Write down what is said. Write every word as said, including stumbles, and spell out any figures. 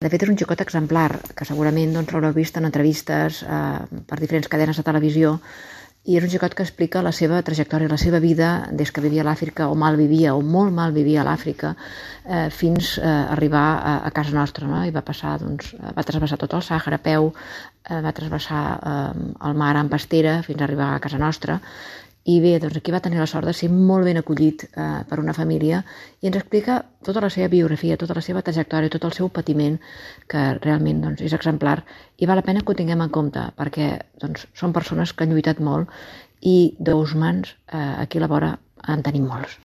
De fet, és un xicot exemplar, que segurament doncs, l'haureu vist en entrevistes eh, per diferents cadenes de televisió, i és un xicot que explica la seva trajectòria, la seva vida des que vivia a l'Àfrica, o mal vivia, o molt mal vivia a l'Àfrica, eh, fins a arribar a, a casa nostra, no? I va passar, doncs, va travessar tot el Sàhara a peu, eh, va travessar eh, el mar en pastera fins a arribar a casa nostra. I bé, doncs aquí va tenir la sort de ser molt ben acollit eh, per una família i ens explica tota la seva biografia, tota la seva trajectòria, tot el seu patiment, que realment doncs, és exemplar i val la pena que ho tinguem en compte perquè doncs, són persones que han lluitat molt i d'Ousmans eh, aquí a la vora en tenim molts.